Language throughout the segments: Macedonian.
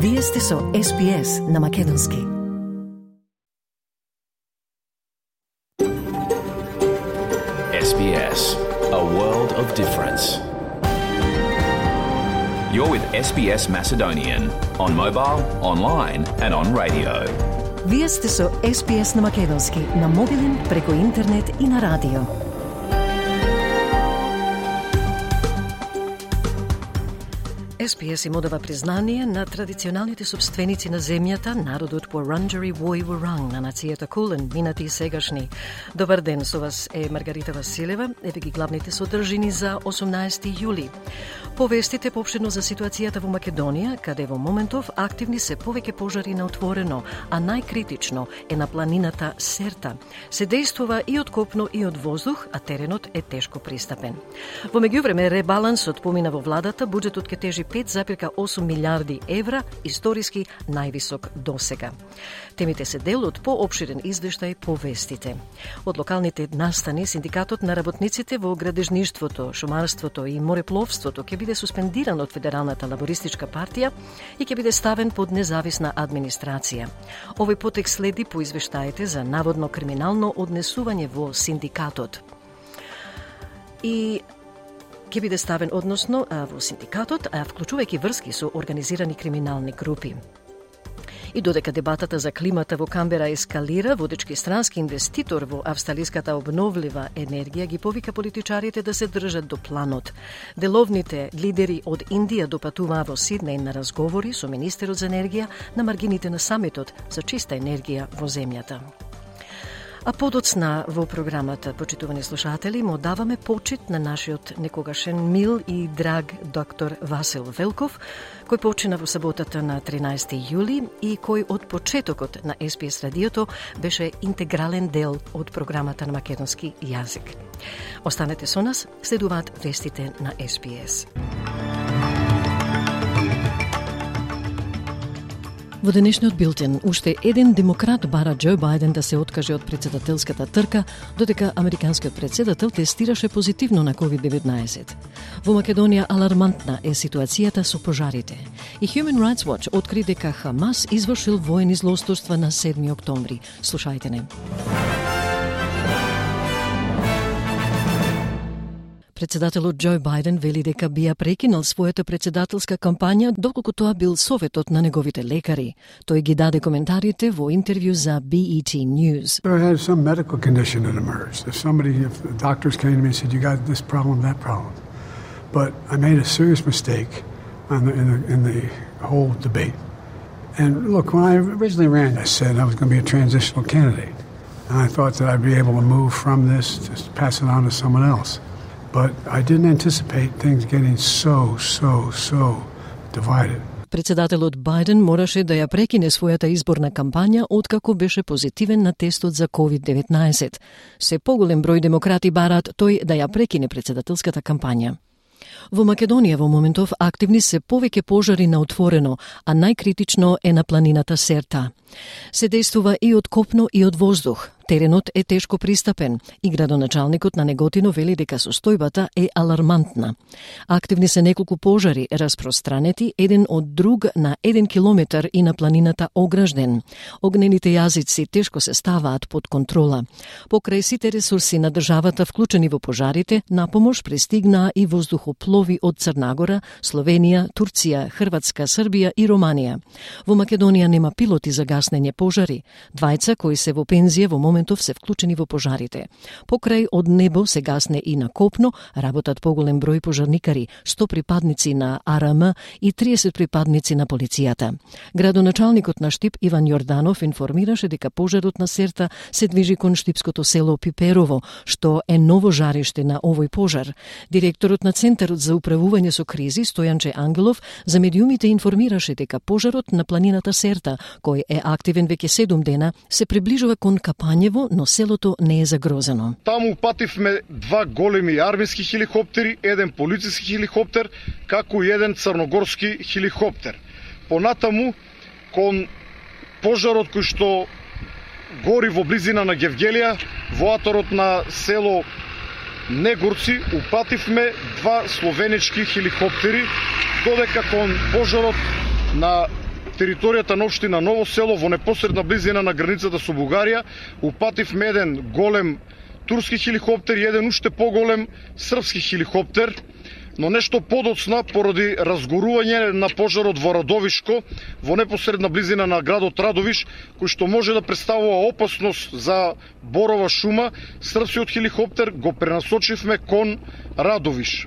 Вие сте со SPS на македонски. SBS, a world of difference. You're with SBS Macedonian on mobile, online and on radio. Вие сте со SPS на македонски, на мобилен, преку интернет и на радио. SPS им одава признание на традиционалните собственици на земјата, народот Wurundjeri Woi Wurrung на нацијата Кулен, минати и сегашни. Добар ден, со вас е Маргарита Василева, еве ги главните содржини за 18 јули. Повестите поопштено за ситуацијата во Македонија, каде во моментов активни се повеќе пожари на отворено, а најкритично е на планината Серта. Се действува и од копно и од воздух, а теренот е тешко пристапен. Во меѓувреме ребалансот помина во владата, буџетот ќе тежи 5,8 милиарди евра, историски највисок досега. Темите се дел од поопширен извештај по вестите. Од локалните настани, синдикатот на работниците во градежништвото, шумарството и морепловството ќе биде суспендиран од Федералната лабористичка партија и ќе биде ставен под независна администрација. Овој потек следи по извештаите за наводно криминално однесување во синдикатот. И ќе биде ставен односно во синдикатот, вклучувајќи врски со организирани криминални групи. И додека дебатата за климата во Камбера ескалира, водечки странски инвеститор во австралиската обновлива енергија ги повика политичарите да се држат до планот. Деловните лидери од Индија допатуваа во Сиднеј на разговори со министерот за енергија на маргините на самитот за чиста енергија во земјата. А подоцна во програмата, почитувани слушатели, му даваме почит на нашиот некогашен мил и драг доктор Васил Велков, кој почина во саботата на 13 јули и кој од почетокот на SPS радиото беше интегрален дел од програмата на македонски јазик. Останете со нас, следуваат вестите на SPS. Во денешниот билтен, уште еден демократ бара Џо Бајден да се откаже од председателската трка, додека американскиот председател тестираше позитивно на COVID-19. Во Македонија алармантна е ситуацијата со пожарите. И Human Rights Watch откри дека Хамас извршил воени злосторства на 7 октомври. Слушајте не. Председателот Џо Бајден вели дека би прекинал својата председателска кампања доколку тоа бил советот на неговите лекари. Тој ги даде коментарите во интервју за BET News. I had some medical condition that emerged. If the doctors came to me and said, you got this problem, that problem. But I made a serious mistake in the whole debate. And look, when I originally ran, I said I was going to be a transitional candidate. And I thought that I'd be able to move from this to pass it on to someone else. But I didn't anticipate things getting so divided. Председателот Бајден мораше да ја прекине својата изборна кампања откако беше позитивен на тестот за COVID-19. Се поголем број демократи бараат тој да ја прекине председателската кампања. Во Македонија во моментов активни се повеќе пожари на отворено, а најкритично е на планината Серта. Се действува и од копно и од воздух. Теренот е тешко пристапен и градоначалникот на Неготино вели дека состојбата е алармантна. Активни се неколку пожари распространети еден од друг на 1 километар и на планината Огражден. Огнените јазици тешко се ставаат под контрола. Покрај сите ресурси на државата вклучени во пожарите, на помош пристигнаа и воздухоплови од Црнагора, Словенија, Турција, Хрватска, Србија и Романија. Во Македонија нема пилоти за гаснење пожари. Двајца кои се во пензија во моментов се вклучени во пожарите. Покрај од небо се гасне и на копно, работат поголем број пожарникари, 100 припадници на АРМ и 30 припадници на полицијата. Градоначалникот на Штип Иван Јорданов информираше дека пожарот на Серта се движи кон штипското село Пиперово, што е ново жариште на овој пожар. Директорот на Центарот за управување со кризи Стојанче Ангелов за медиумите информираше дека пожарот на планината Серта, кој е активен веќе 7 дена, се приближува кон Капањево, но селото не е загрозено. Таму упативме 2 големи армиски хеликоптери, еден полициски хеликоптер, како и еден црногорски хеликоптер. Понатаму, кон пожарот кој што гори во близина на Гевгелија, во аторот на село Негорци, упативме 2 словенички хеликоптери, додека кон пожарот на територијата на општина Ново село во непосредна близина на границата со Бугарија упативме еден голем турски хеликоптер и еден уште поголем српски хеликоптер, но нешто подоцна поради разгорување на пожарот во Радовишко, во непосредна близина на градот Радовиш, кој што може да представува опасност за борова шума, српскиот хеликоптер го пренасочивме кон Радовиш.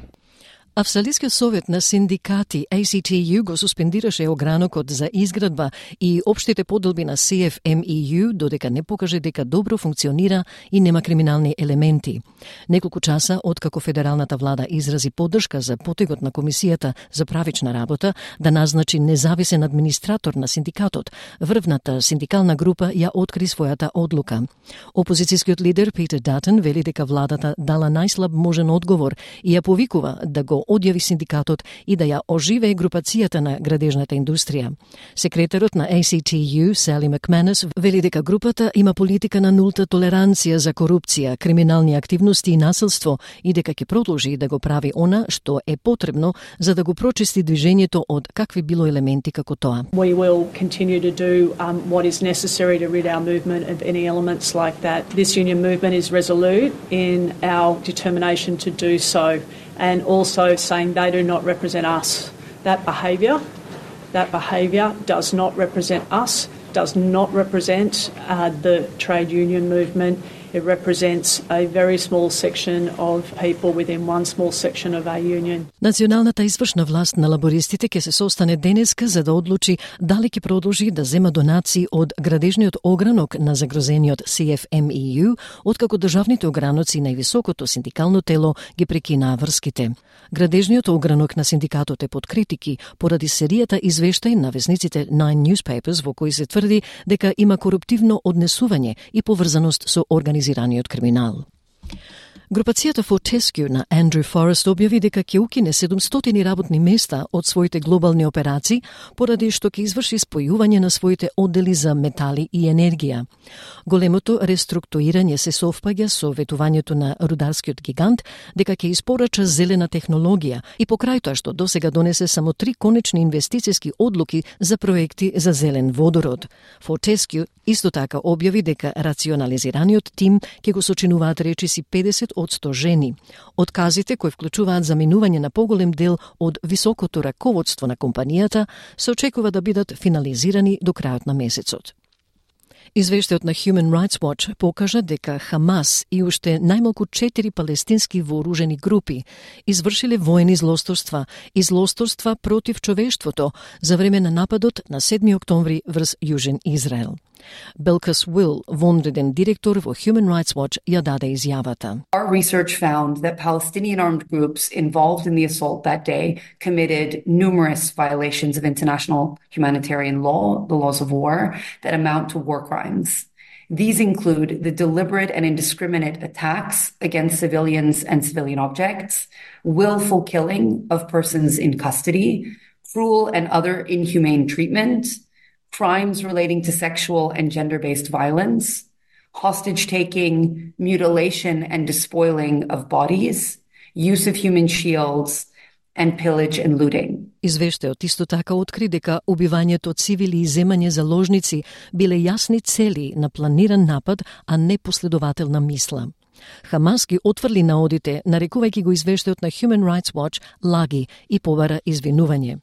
Австралискиот совет на синдикати ACTU го суспендираше огранокот за изградба и општите поделби на CFMEU додека не покаже дека добро функционира и нема криминални елементи. Неколку часа откако федералната влада изрази поддршка за потегот на Комисијата за правична работа да назначи независен администратор на синдикатот, врвната синдикална група ја откри својата одлука. Опозицијскиот лидер Питер Датон вели дека владата дала најслаб можен одговор и ја повикува да го одјави синдикатот и да ја оживее групацијата на градежната индустрија. Секретарот на ACTU, Сали Макманус, вели дека групата има политика на нулта толеранција за корупција, криминални активности и насилство и дека ќе продолжи да го прави она што е потребно за да го прочисти движењето од какви било елементи како тоа. We will continue to do what is necessary to rid our movement of any elements like that. This union movement is resolute in our determination to do so, and also saying they do not represent us. That behaviour does not represent us, does not represent the trade union movement. It represents a very small section of people within one small section of our union. Националната извршна власт на лабористите ќе се состане денеска за да одлучи дали ќе продолжи да зема донации од градежниот огранок на загрозениот CFMEU, откако државните ограноци на високото синдикално тело ги прекинаа врските. Градежниот огранок на синдикатот е под критики поради серијата извештаи на весниците Nine Newspapers во кои се тврди дека има коруптивно однесување и поврзаност со организираниот криминал. Групацијата Fortescue на Andrew Forrest објави дека ќе укине 700 работни места од своите глобални операции поради што ќе изврши спојување на своите оддели за метали и енергија. Големото реструктурирање се совпаѓа со ветувањето на рударскиот гигант дека ќе испорача зелена технологија и покрај тоа што досега донесе само 3 конечни инвестициски одлуки за проекти за зелен водород. Fortescue исто така објави дека рационализираниот тим ќе го сочинуваат речиси 50% жени. Отказите кои вклучуваат заминување на поголем дел од високото раководство на компанијата се очекува да бидат финализирани до крајот на месецот. Извештајот на Human Rights Watch покажа дека Хамас и уште најмалку 4 палестински вооружени групи извршиле воени злосторства против човештвото за време на нападот на 7 октомври врз Јужен Израел. Belkis Will, вонреден директор во Human Rights Watch, ја даде изјавата. Our research found that Palestinian armed groups involved in the assault that day committed numerous violations of international humanitarian law, the laws of war, that amount to war crimes. These include the deliberate and indiscriminate attacks against civilians and civilian objects, willful killing of persons in custody, cruel and other inhumane treatment, crimes relating to sexual and gender-based violence, hostage-taking, mutilation and despoiling of bodies, use of human shields, and pillage and looting. Извештајот исто така откри дека убивањето цивили и земање заложници биле јасни цели на планиран напад, а не последователна мисла. Хамас ги отврли наодите, нарекувајќи го извештајот на Human Rights Watch лаги и побара извинување.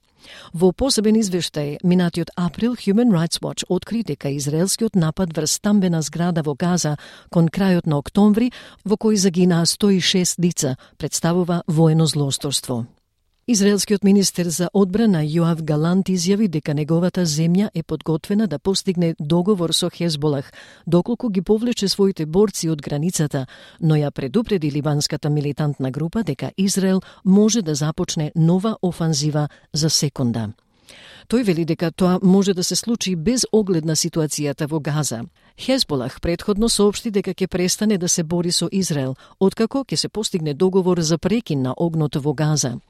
Во посебен извештај, минатиот април, Human Rights Watch откри дека израелскиот напад врз стамбена зграда во Газа кон крајот на октомври, во кој загинаа 106 лица, представува воено злосторство. Израелскиот министер за одбрана Јоав Галант изјави дека неговата земја е подготвена да постигне договор со Хезболах, доколку ги повлече своите борци од границата, но ја предупреди ливанската милитантна група дека Израел може да започне нова офанзива за секунда. Тој вели дека тоа може да се случи без оглед на ситуацијата во Газа. Хезболах претходно соопшти дека ќе престане да се бори со Израел, откако ќе се постигне договор за прекин на огнот во Газа.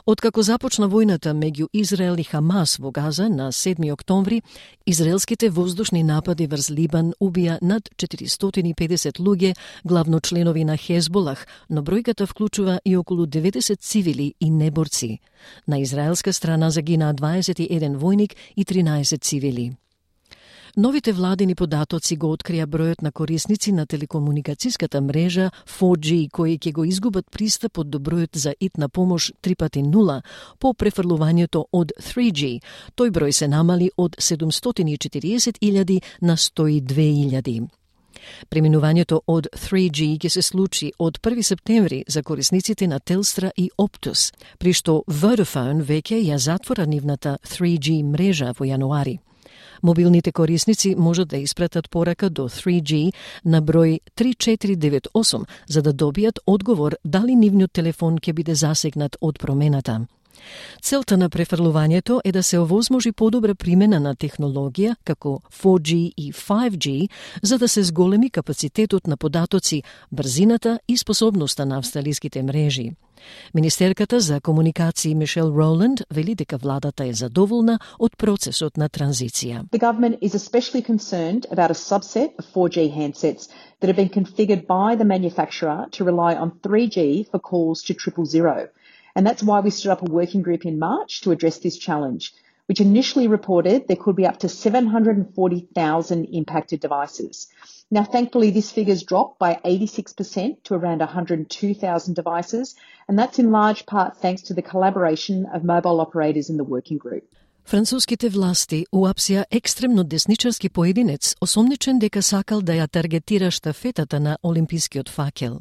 Откако започна војната меѓу Израел и Хамас во Газа на 7 октомври, израелските воздушни напади врз Либан убија над 450 луѓе, главно членови на Хезболах, но бројката вклучува и околу 90 цивили и неборци. На израелска страна загинаа 21 војник и 13 цивили. Новите владини податоци го открија бројот на корисници на телекомуникацијската мрежа 4G кои ќе го изгубат пристапот до бројот за итна помош 3x0 по префрлувањето од 3G. Тој број се намали од 740.000 на 102.000. Преминувањето од 3G ќе се случи од 1 септември за корисниците на Телстра и Оптус, при што Vodafone веќе ја затвора нивната 3G мрежа во јануари. Мобилните корисници можат да испратат порака до 3G на број 3498 за да добијат одговор дали нивниот телефон ќе биде засегнат од промената. Целта на префрлувањето е да се овозможи подобра примена на технологија како 4G и 5G за да се зголеми капацитетот на податоци, брзината и способноста на австралиските мрежи. Министерката за комуникации Мишел Роланд вели дека владата е задоволна од процесот на транзиција. The government is especially concerned about a subset of 4G handsets that have been configured by the manufacturer to rely on 3G for calls to 000. And that's why we stood up a working group in March to address this challenge, which initially reported there could be up to 740,000 impacted devices. Now, thankfully, this figure's dropped by 86% to around 102,000 devices, and that's in large part thanks to the collaboration of mobile operators in the working group. Француските власти уапсија екстремно десничарски поединец, осомничен дека сакал да ја таргетира штафетата на олимпискиот факел.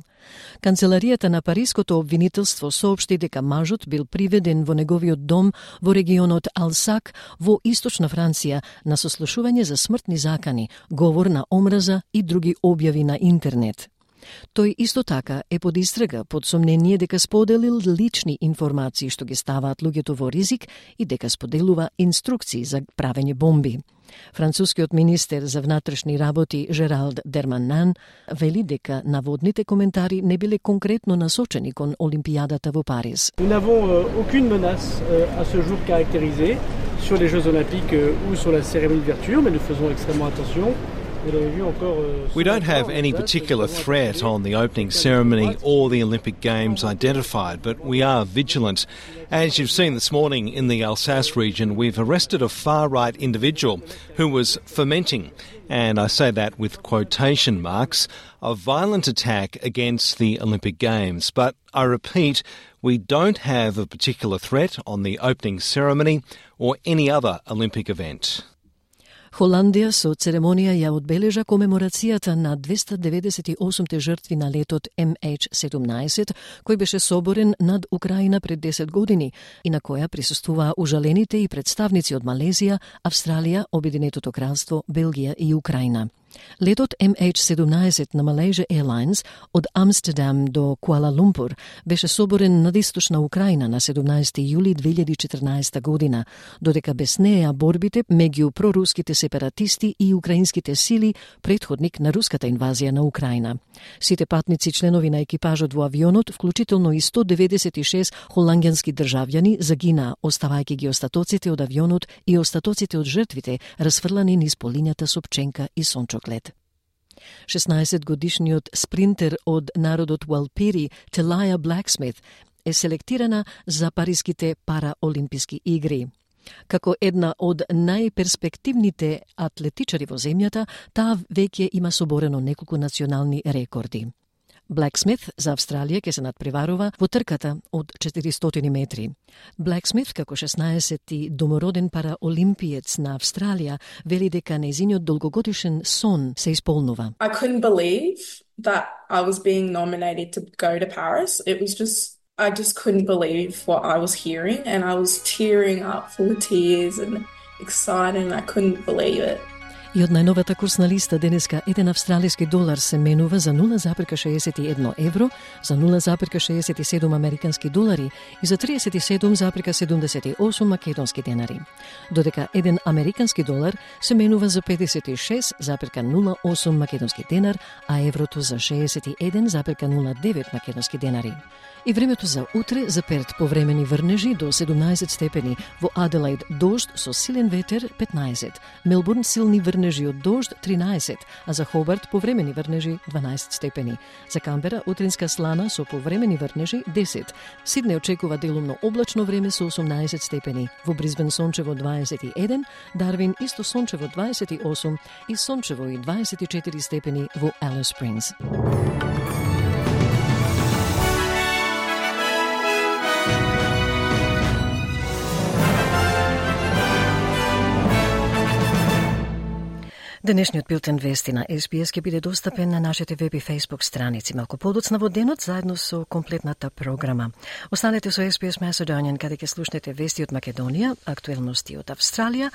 Канцеларијата на Париското обвинителство соопшти дека мажот бил приведен во неговиот дом во регионот Алсак во источна Франција на сослушување за смртни закани, говор на омраза и други објави на интернет. Тој исто така е под истрага под сомнение дека споделил лични информации што ги ставаат луѓето во ризик и дека споделува инструкции за правење бомби. Францускиот министер за внатрешни работи Жералд Дерманан вели дека наводните коментари не биле конкретно насочени кон Олимпијадата во Париз. Nous n'avons aucune menace à ce jour caractérisée sur les Jeux olympiques ou sur la cérémonie d'ouverture, mais nous faisons extrêmement attention. We don't have any particular threat on the opening ceremony or the Olympic Games identified, but we are vigilant. As you've seen this morning in the Alsace region, we've arrested a far-right individual who was fomenting, and I say that with quotation marks, a violent attack against the Olympic Games. But I repeat, we don't have a particular threat on the opening ceremony or any other Olympic event. Холандија со церемонија ја одбележа комеморацијата на 298 жртви на летот MH17, кој беше соборен над Украина пред 10 години и на која присуствуваа ужалените и представници од Малезија, Австралија, Обединетото кралство, Белгија и Украина. Летот MH17 на Malaysia Airlines од Амстердам до Куала Лумпур беше соборен над источна Украина на 17 јули 2014 година, додека без неја борбите меѓу проруските сепаратисти и украинските сили претходник на руската инвазија на Украина. Сите патници членови на екипажот во авионот, вклучително и 196 холандјански државјани, загинаа, оставајќи ги остатоците од авионот и остатоците од жртвите расфрлани низ полињата со пченка и сончоклет. 16-годишниот спринтер од народот Уалпири, Телаја Блаксмит, е селектирана за париските параолимписки игри. Како една од најперспективните атлетичари во земјата, таа веќе има соборено неколку национални рекорди. Блаксмит за Австралија ќе се надпреварува во трката од 400 метри. Блаксмит, како 16-ти домороден параолимпиец на Австралија, вели дека нејзиниот долгогодишен сон се исполнува. I couldn't believe that I was being nominated to go to Paris. I just couldn't believe what I was hearing, and I was tearing up, full of tears and excited, and I couldn't believe it. И од најновата курсна листа денеска еден австралиски долар се менува за 0,61 евро, за 0,67 американски долари и за 37,78 македонски денари. Додека еден американски долар се менува за 56,08 македонски денар, а еврото за 61,09 македонски денари. И времето за утре за Перт повремени врнежи до 17 степени, во Аделаид дожд со силен ветер 15, Мелбурн силни врнежи од дожд 13, а за Хобарт повремени врнежи 12 степени. За Камбера утринска слана со повремени врнежи 10. Сиднеј очекува делумно облачно време со 18 степени. Во Брисбен сончево 21, Дарвин исто сончево 28 и сончево и 24 степени во Алис Спрингс. Денешниот билтен вести на SBS ќе биде достапен на нашите веб и Facebook страници малку подоцна во денот заедно со комплетната програма. Останете со SBS Macedonian каде ќе слушнете вести од Македонија, актуелности од Австралија,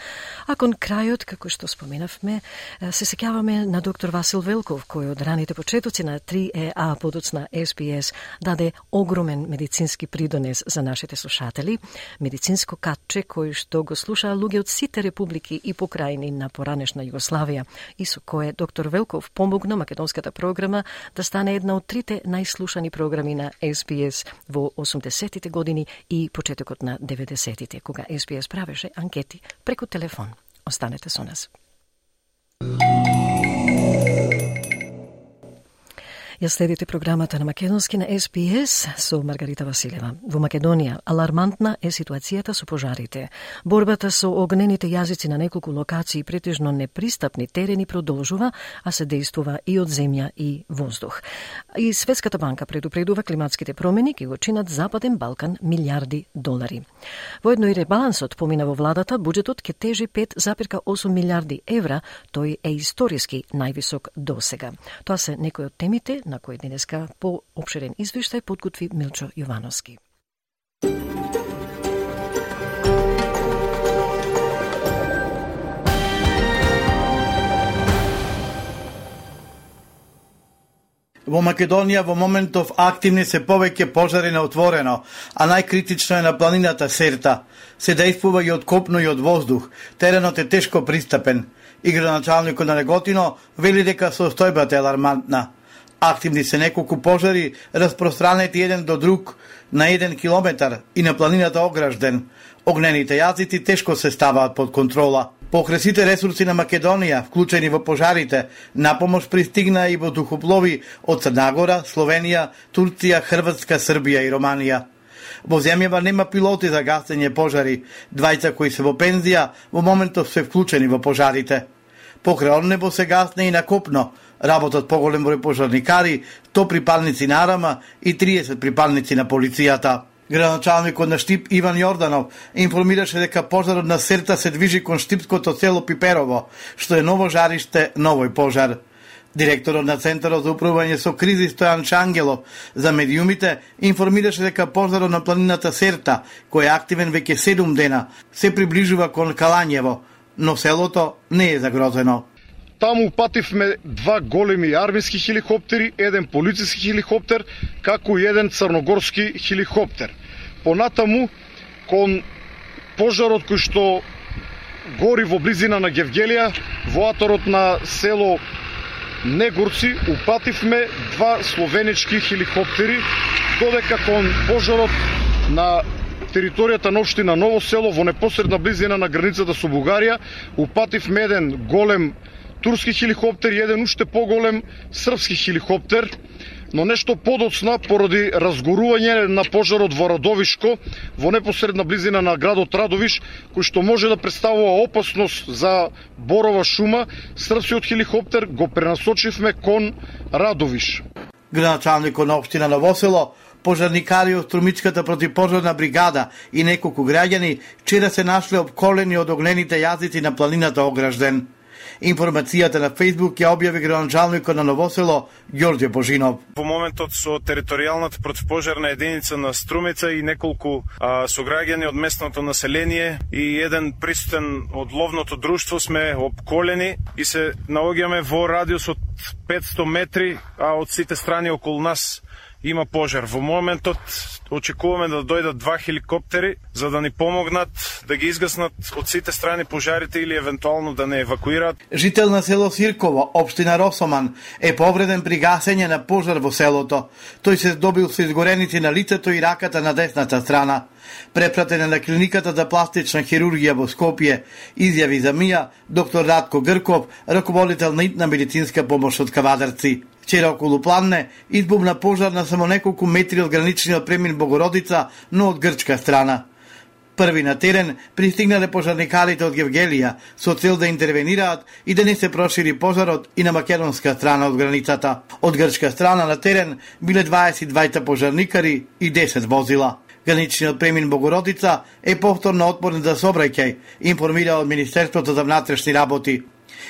а кон крајот, како што споменавме, се сеќаваме на доктор Васил Велков, кој од раните почетоци на 3EA подоцна SBS даде огромен медицински придонес за нашите слушатели, медицинско катче кој што го слушаа луѓе од сите републики и покрајни на поранешна Југославија, и со кое доктор Велков помогна македонската програма да стане една од трите најслушани програми на SBS во 80-тите години и почетокот на 90-тите, кога SBS правеше анкети преку телефон. Останете со нас. Ја следите програмата на македонски на SBS со Маргарита Василева. Во Македонија алармантна е ситуацијата со пожарите. Борбата со огнените јазици на неколку локации претежно непристапни терени продолжува, а се дејствува и од земја и воздух. И Светската банка предупредува климатските промени ќе го чинат Западен Балкан милиарди долари. Воедно и ребалансот помина во владата, буџетот ќе тежи 5,8 милиарди евра, тој е историски највисок досега. Тоа се некои од темите на кој денеска по опширен извештај подготви Милчо Јовановски. Во Македонија во моментов активни се повеќе пожари на отворено, а најкритично е на планината Серта. Се дејствува и од копно и од воздух. Теренот е тешко пристапен. И градоначалникот на Неготино вели дека состојбата е алармантна. Активни се неколку пожари, распространети еден до друг на 1 километар и на планината Огражден. Огнените јазици тешко се ставаат под контрола. Покрај сите ресурси на Македонија, вклучени во пожарите, напомош пристигна и воздухоплови од Црна Гора, Словенија, Турција, Хрватска, Србија и Романија. Во земјава нема пилоти за гасење пожари, двајца кои се во пензија во моментов се вклучени во пожарите. Покрај небо се гасне и на копно, работат поголем број пожарникари, 100 припадници на Арама и 30 припадници на полицијата. Градоначалникот на Штип Иван Јорданов информираше дека пожарот на Серта се движи кон штипското село Пиперово, што е ново жариште, новој пожар. Директорот на Центарот за управување со кризи Стојан Шангелов за медиумите информираше дека пожарот на планината Серта, кој е активен веќе 7 дена, се приближува кон Калањево, но селото не е загрозено. Таму упативме 2 големи армиски хеликоптери, еден полициски хеликоптер, како и еден црногорски хеликоптер. Понатаму, кон пожарот кој што гори во близина на Гевгелија, во аторот на село Негорци, упативме 2 словенички хеликоптери, додека кон пожарот на територијата на општина Ново село, во непосредна близина на границата со Бугарија, упативме еден голем турски хеликоптер и еден уште поголем српски хеликоптер, но нешто подоцна поради разгорување на пожарот во Радовишко, во непосредна близина на градот Радовиш, кој што може да представува опасност за борова шума, српскиот хеликоптер го пренасочивме кон Радовиш. Градоначалникот на општина Ново село, пожарникари од Струмичката противпожарна бригада и неколку граѓани вчера се нашле обколени од огнените јазици на планината Огражден. Информацијата на Facebook ја објави градоначалникот на Ново село Ѓорѓе Божинов. Во моментот со територијалната противпожарна единица на Струмица и неколку сограѓани од местното население и еден присутен од ловното друштво сме обколени и се наоѓаме во радиус од 500 метри, а од сите страни околу нас има пожар. Во моментот очекуваме да дојдат 2 хеликоптери за да ни помогнат да ги изгаснат од сите страни пожарите или евентуално да не евакуираат. Жител на село Сирково, општина Росоман, е повреден при гасење на пожар во селото. Тој се здобил со изгореници на лицето и раката на десната страна. Препратен е на клиниката за пластична хирургија во Скопје, изјави за МИА доктор Радко Грков, раководител на итна медицинска помош од Кавадарци. Вчера околу Планне избумна пожар на само неколку метри од граничниот премин Богородица, но од грчка страна. Први на терен пристигнале пожарникарите од Гевгелија со цел да интервенираат и да не се прошири пожарот и на македонска страна од границата. Од грчка страна на терен биле 22 пожарникари и 10 возила. Граничниот премин Богородица е повторно отворен за сообраќај, информира од Министерството за внатрешни работи.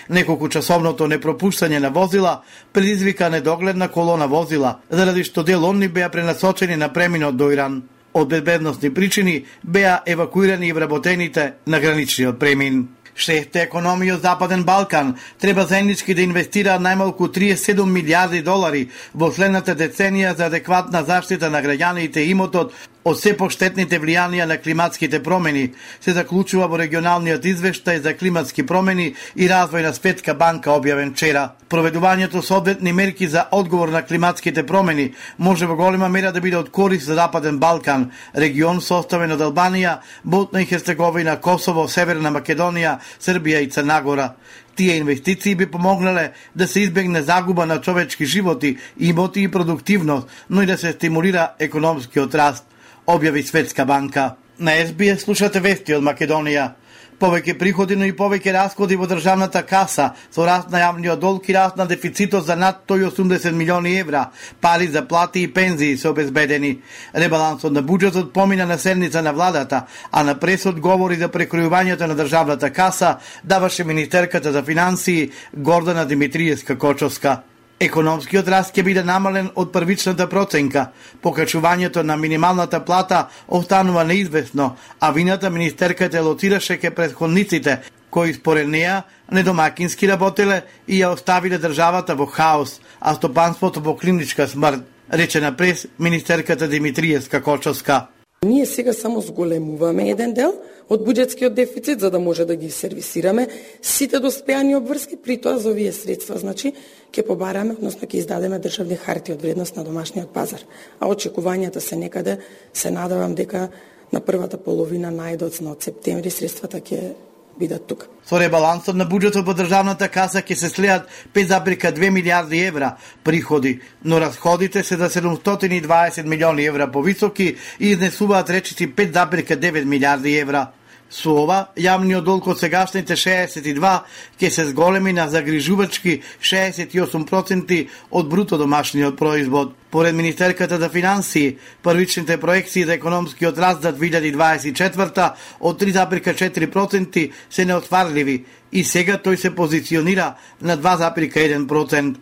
Неколку часовното непропуштање на возила предизвика недогледна колона возила, заради што дел онни беа пренасочени на преминот до Иран. Од безбедносни причини беа евакуирани и вработените на граничниот премин. Шефте економија од Западен Балкан треба заеднички да инвестира најмалку 37 милиарди долари во следната деценија за адекватна заштита на граѓаните и имотот од се поштетните влијанија на климатските промени, се заклучува во регионалниот извештај за климатски промени и развој на Светска банка објавен вчера. Проведувањето со одветни мерки за одговор на климатските промени може во голема мера да биде од корист за Западен Балкан, регион составен од Албанија, Босна и Херцеговина, Косово, Северна Македонија, Србија и Црна Гора. Тие инвестиции би помогнале да се избегне загуба на човечки животи, имоти и продуктивност, но и да се стимулира економскиот раст, објави Светска банка. На СБС слушате вести од Македонија. Повеќе приходи, но и повеќе расходи во државната каса, со раст на јавниот долг и раст на дефицитот за над 180 милиони евра, пари за плати и пензии се обезбедени. Ребалансот на буџетот помина на седница на владата, а на пресот говори за прекројувањето на државната каса даваше министерката за финансии Гордана Димитриевска-Кочовска. Економскиот раст ќе биде намален од првичната проценка. Покачувањето на минималната плата останува неизвестно, а вината министерката лоцираше ке претходниците, кои според неа недомакински работеле и ја оставиле државата во хаос, а стопанството во клиничка смрт, рече на прес министерката Димитриевска-Кочовска. Ние сега само зголемуваме еден дел од буџетскиот дефицит за да може да ги сервисираме сите доспеани обврски, при тоа за овие средства, значи, ќе побараме, односно ќе издадеме државни харти од вредност на домашниот пазар. А очекувањата се некаде, се надевам дека на првата половина најдоцна од септември средствата ќе бидат тука. Со ребалансот на буџетот во државната каса ќе се слеат 5,2 милиарди евра приходи, но расходите се за 720 милиони евра повисоки и изнесуваат речиси 5,9 милиарди евра. Со ова, јавниот долг од сегашните 62 ќе се зголеми на загрижувачки 68% од бруто домашниот производ. Поред министерката за финансии, првичните проекции за економскиот раст за 2024 од 3,4% се неостварливи и сега тој се позиционира на 2,1%.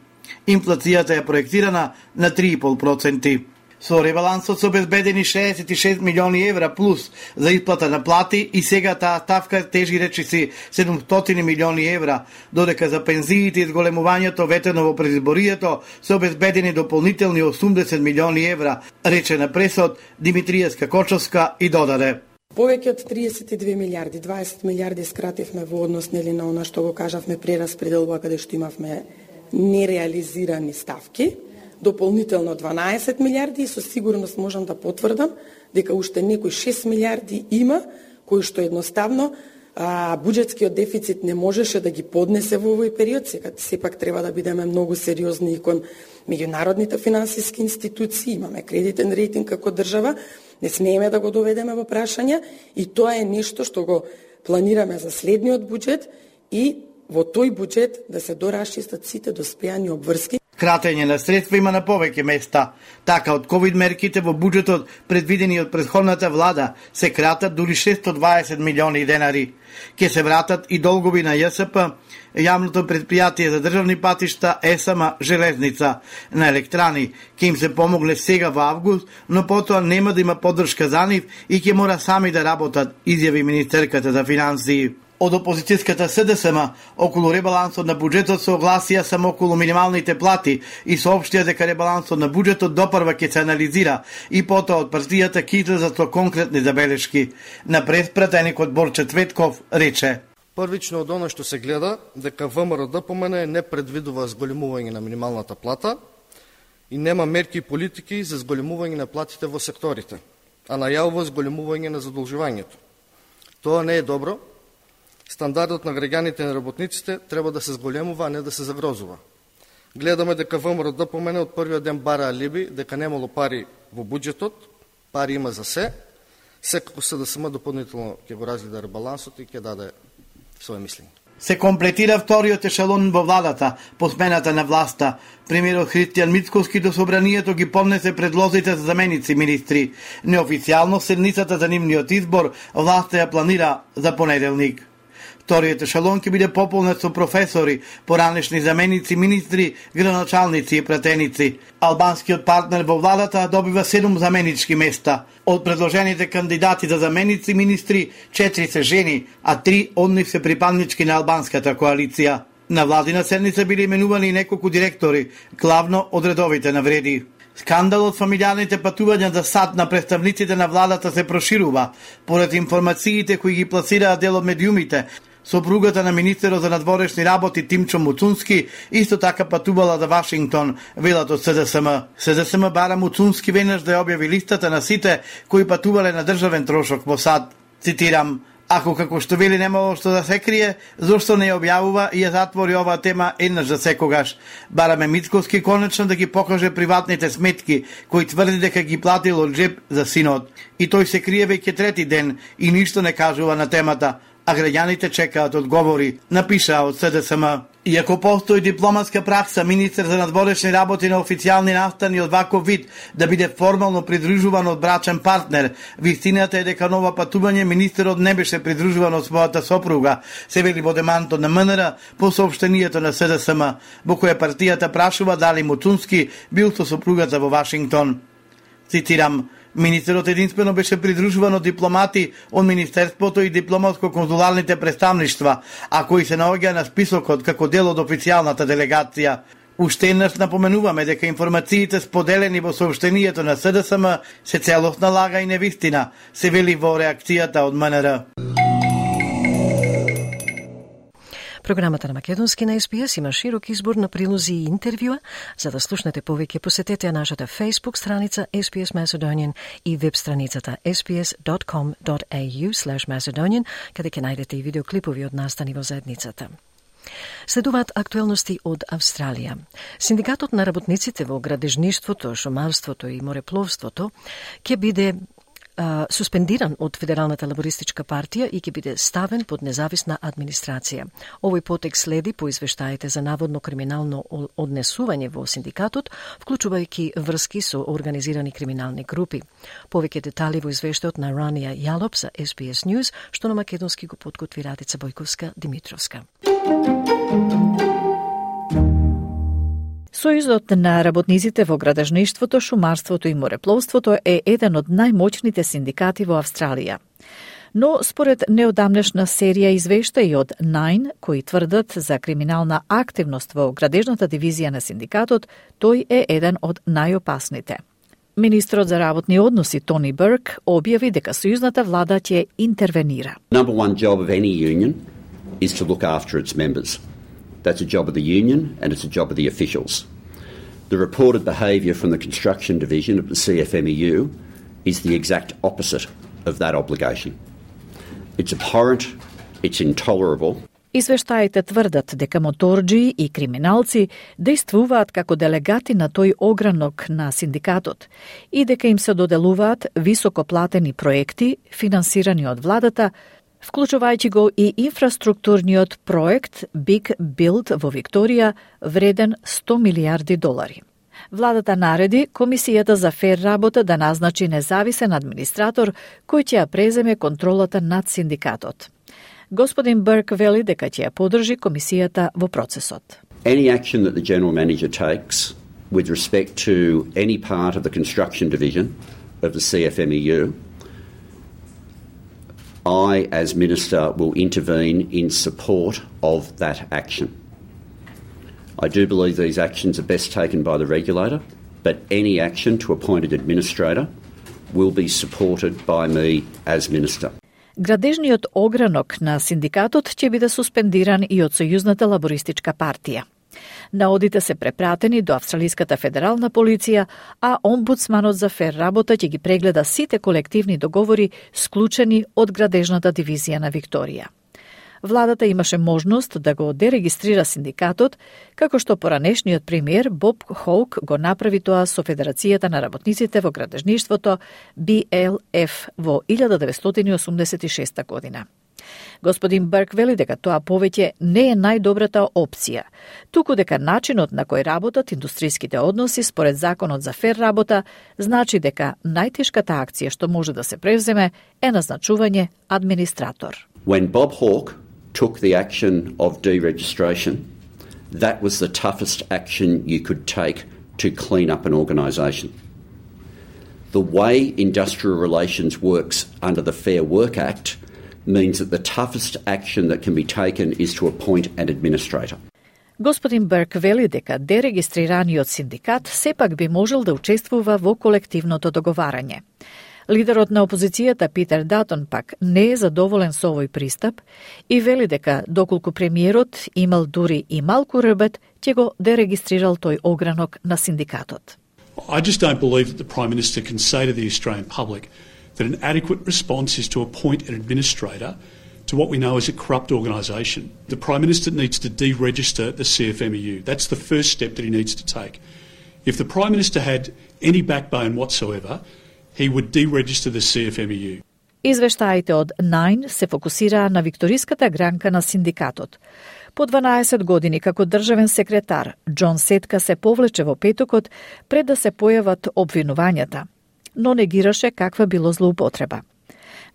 Инфлацијата е проектирана на 3,5%. Со ребалансот се обезбедени 66 милиони евра плюс за исплата на плати и сега таа ставка тежи речиси 700 милиони евра, додека за пензиите и зголемувањето ветено во предизборието се обезбедени дополнителни 80 милиони евра, рече на пресот Димитриевска-Кочовска и додаде. Повеќе од 32 милиарди, 20 милиарди скративме во однос нели на она што го кажавме прераспределба каде што имавме нереализирани ставки. Дополнително 12 милиарди и со сигурност можам да потврдам дека уште некои 6 милиарди има кои што едноставно буџетскиот дефицит не можеше да ги поднесе во овој период. Сега сепак треба да бидеме многу сериозни и кон меѓународните финансиски институции, имаме кредитен рейтинг како држава, не смееме да го доведеме во прашање и тоа е нешто што го планираме за следниот буџет и во тој буџет да се дорасчистат сите доспеани обврски. Кратење на средства има на повеќе места. Така од ковид мерките во буџетот предвидени од претходната влада се кратат дури 620 милиони денари. Ке се вратат и долгови на ЈСП, јавното предпријатие за државни патишта, ЕСМ, железница, на електрани. Ке им се помогле сега во август, но потоа нема да има поддршка за нив и ќе мора сами да работат, изјави министерката за финансии. Од опозицијската СДСМ околу ребалансот на буџетот се огласија само околу минималните плати и соопштија дека ребалансот на буџетот допрва ќе се анализира и потоа од партијата ќе излезат со конкретни забелешки. На преспратеникот Борче Цветков рече: Првично од оно што се гледа дека ВМРО-ДПМН не предвидува зголемување на минималната плата и нема мерки и политики за зголемување на платите во секторите, а најавува зголемување на задолжувањето. Тоа не е добро. Стандардот на граѓаните и на работниците треба да се зголемува, а не да се загрозува. Гледаме дека ВМРО-ДПМН од првиот ден бара алиби, дека немало пари во буџетот, пари има за се. Секако СДСМ дополнително ќе го разгледа ребалансот и ќе даде своје мислење. Се комплетира вториот ешелон во владата по смената на власта. Премиерот Христијан Мицковски до собранието ги поднесе предлозите за заменици министри. Неофицијално седницата за нивниот избор власта ја планира за понеделник. Вториот ешелон ќе биде пополнет со професори, поранешни заменици, министри, градоначалници и пратеници. Албанскиот партнер во владата добива 7 заменички места. Од предложените кандидати за заменици министри, 4 се жени, а 3 од нив се припаднички на албанската коалиција. На владина седница биле именувани неколку директори, главно од редовите навреди. Скандалот фамилијарните патувања за САД на представниците на владата се проширува, поред информациите кои ги пласираат дел од медиумите. Сопругата на министерот за надворешни работи Тимчо Муцунски исто така патувала за Вашингтон, велат од СДСМ. СДСМ бара Муцунски веднаш да ја објави листата на сите кои патувале на државен трошок во САД. Цитирам: Ако како што вели немало што да се крие, зошто не ја објавува и ја затвори оваа тема еднаш за секогаш. Бараме Мицковски конечно да ги покаже приватните сметки, кои тврди дека ги платил од джеб за синот. И тој се крие веќе трети ден и ништо не кажува на темата, а граѓаните чекаат одговори, напиша од СДСМ. Иако постои дипломатска пракса министер за надворешни работи на официјални настани од ваков вид да биде формално придружуван од брачен партнер, вистината е дека нова патување министерот не беше придружуван од својата сопруга, се вели во демантот на МНР по соопштението на СДСМ, во кое партијата прашува дали Муцунски бил со сопругата во Вашингтон. Цитирам: Министерот единствено беше придружуван од дипломати од Министерството и дипломатско-конзуларните представништва, а кои се наоѓа на списокот како дел од официјалната делегација. Уште еднаш напоменуваме дека информациите споделени во соопштението на СДСМ се целосна лага и невистина, се вели во реакцијата од МНР. Програмата на Македонски на СПС има широк избор на прилози и интервјуа. За да слушнете повеќе, посетете нашата Facebook страница SPS Macedonian и веб страницата sps.com.au/Macedonian, каде ќе најдете и видеоклипови од настани во заедницата. Следуваат актуелности од Австралија. Синдикатот на работниците во градежништвото, шумарството и морепловството ќе биде суспендиран од Федералната лабористичка партија и ќе биде ставен под независна администрација. Овој потек следи по извештаите за наводно криминално однесување во синдикатот, вклучувајќи врски со организирани криминални групи. Повеќе детали во извештајот на Рания Јалоп за SPS News, што на македонски го подготви Радица Бојковска-Димитровска. Сојузот на работниците во градежништвото, шумарството и морепловството е еден од најмоćните синдикати во Австралија. Но според неодамнешна серија извештаи од Nine, кои тврдат за криминална активност во градежната дивизија на синдикатот, тој е еден од најопасните. Министрот за работни односи Тони Бурк објави дека сојузната влада ќе интервенира. Number one job of any union is to look after its members. That's a job of the union and it's a job of the officials. The reported behaviour from the construction division of the CFMEU is the exact opposite of that obligation. It's abhorrent, it's intolerable. Извештаите тврдат дека моторџи и криминалци действуваат како делегати на тој огранок на синдикатот и дека им се доделуваат високоплатени проекти, финансирани од владата, вклучувајќи го и инфраструктурниот проект Big Build во Викторија, вреден $100 милиарди. Владата нареди Комисијата за фер работа да назначи независен администратор кој ќе ја преземе контролата над синдикатот. Господин Берк вели дека ќе ја поддржи комисијата во процесот. Any action that the General Manager takes with respect to any part of the construction division of the CFMEU, I, as Minister, will intervene in support of that action. I do believe these actions are best taken by the regulator, but any action to appoint an administrator will be supported by me as Minister. Градежниот огранок на синдикатот ќе биде суспендиран и од Сојузната лабористичка партија. Наодите се препратени до Австралиската федерална полиција, а омбудсманот за фер работа ќе ги прегледа сите колективни договори склучени од градежната дивизија на Викторија. Владата имаше можност да го дерегистрира синдикатот, како што поранешниот премиер Боб Хоук го направи тоа со Федерацијата на работниците во градежништвото BLF во 1986 година. Господин Берк вели дека тоа повеќе не е најдобрата опција, туку дека начинот на кој работат индустриските односи според законот за фер работа значи дека најтешката акција што може да се превземе е назначување администратор. When Bob Hawke took the action of deregistration, that was the toughest action you could take to clean up an organisation. The way industrial relations works under the Fair Work Act means that the toughest action that can be taken is to appoint an administrator. Господин Берк вели дека дерегистрираниот синдикат сепак би можел да учествува во колективното договарање. Лидерот на опозицијата Питер Датон пак не е задоволен со овој пристап и вели дека доколку премиерот имал дури и малку рбет, ќе го дерегистрирал тој огранок на синдикатот. I just don't believe that the Prime Minister can say to the Australian public that an adequate response is to appoint an administrator to what we know as a corrupt organisation. The Prime Minister needs to deregister the CFMEU. That's the first step that he needs to take. If the Prime Minister had any backbone whatsoever, he would deregister the CFMEU. Извештаите од Nine се фокусираа на викториската гранка на синдикатот. По 12 години како државен секретар, Џон Сетка се повлече во петокот пред да се појават обвинувањата, но негираше каква било злоупотреба.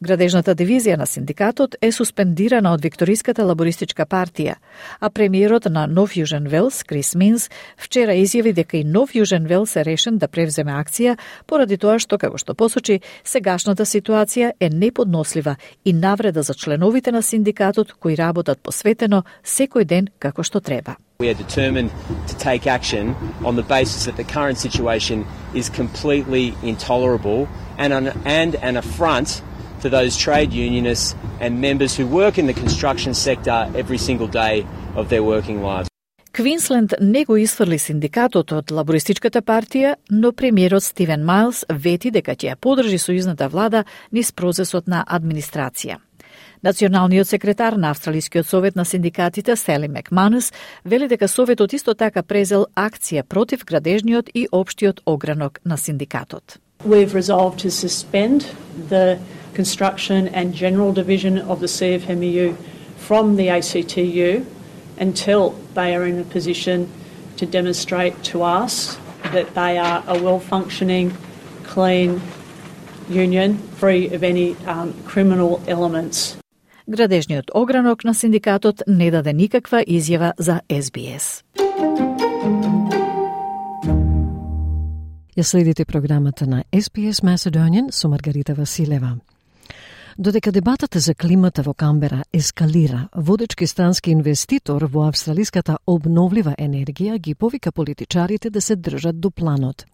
Градежната дивизија на синдикатот е суспендирана од Викториската лабористичка партија, а премиерот на Нов Јужен Велс, Крис Минс, вчера изјави дека и Нов Јужен Велс е решен да превземе акција поради тоа што, како што посочи, сегашната ситуација е неподнослива и навреда за членовите на синдикатот кои работат посветено секој ден како што треба. We are determined to take action on the basis that the current situation is completely intolerable and an affront to those trade unionists and members who work in the construction sector every single day of their working lives. Квинсленд не го исфрли синдикатот од лабористичката партија, но премиерот Стивен Мајлс вети дека ќе ја поддржи сојузната влада низ процесот на администрација. Националниот секретар на Австралискиот совет на синдикатите Сели Макманус вели дека советот исто така презел акција против градежниот и општиот огранок на синдикатот. We've resolved to suspend the construction and general division of the CFMEU from the ACTU until they are in a position to demonstrate to us that they are a well-functioning, clean union, free of any criminal elements. Градежниот огранок на синдикатот не даде никаква изјава за SBS. Ја следите програмата на SBS Macedonian со Маргарита Василева. Додека дебатата за климата во Камбера ескалира, водечки странски инвеститор во австралиската обновлива енергија ги повика политичарите да се држат до планот.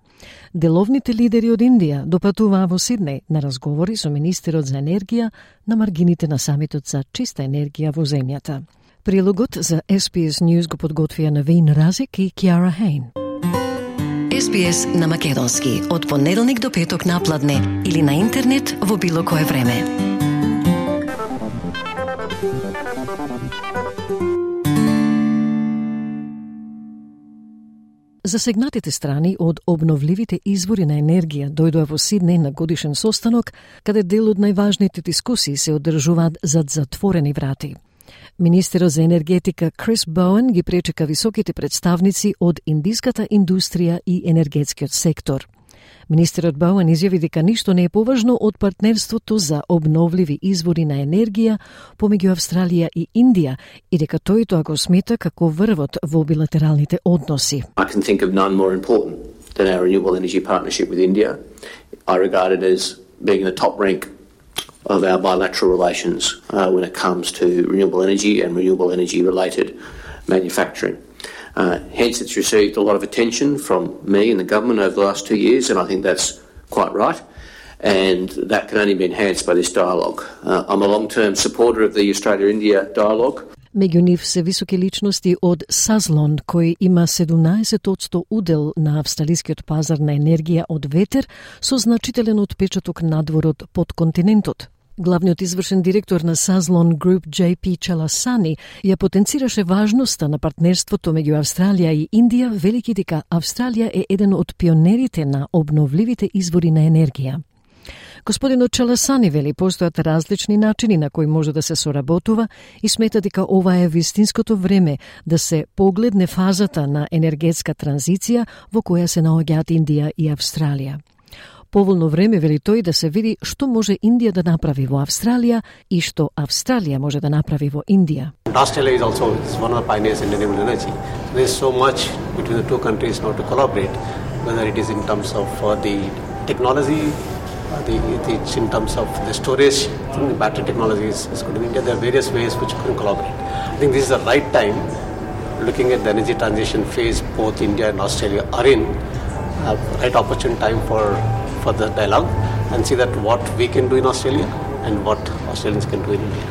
Деловните лидери од Индија допатуваа во Сиднеј на разговори со министерот за енергија на маргините на самитот за чиста енергија во земјата. Прилогот за SBS News го подготвија Навин Разик и Кјара Хейн. SBS на македонски од понеделник до петок на пладне или на интернет во било кое време. Засегнатите страни од обновливите извори на енергија дојдоа во Сиднеј на годишен состанок, каде дел од најважните дискусии се одржуваат зад затворени врати. Министерот за енергетика Крис Боуен ги пречека високите представници од индиската индустрија и енергетскиот сектор. Министерот Боуен изјави дека ништо не е поважно од партнерството за обновливи извори на енергија помеѓу Австралија и Индија и дека тој тоа го смета како врвот во билатералните односи. I can think of none more important than our renewable energy partnership with India. I regard it as being in the top rank of our bilateral relations when it comes to renewable energy and renewable energy related manufacturing. Hence, it's received a lot of attention from me and the government over the last 2 years, and I think that's quite right. And that can only be enhanced by this dialogue. I'm a long-term supporter of the Australia-India dialogue. Меѓу нив се високи личности од Сазлон, кој има 17% удел на австралискиот пазар на енергија од ветер, со значителен отпечаток надвор под континентот. Главниот извршен директор на Sazlon Group, JP Chalasani, ја потенцираше важноста на партнерството меѓу Австралија и Индија, велики дека Австралија е еден од пионерите на обновливите извори на енергија. Господинот Чаласани вели постојат различни начини на кои може да се соработува и смета дека ова е вистинското време да се погледне фазата на енергетска транзиција во која се наоѓаат Индија и Австралија. Поволно време, вели тој, да се види што може Индија да направи во Австралија и што Австралија може да направи во Индија. Australia is also one of the pioneers in renewable energy. There is so much between the two countries now to collaborate, whether it is in terms of the technology, it's in terms of the storage, the battery technology is good in India. There are various ways which you can collaborate. I think this is the right time, looking at the energy transition phase both India and Australia are in, a right opportune time for the dialogue and see that what we can do in Australia and what Australians can do in India.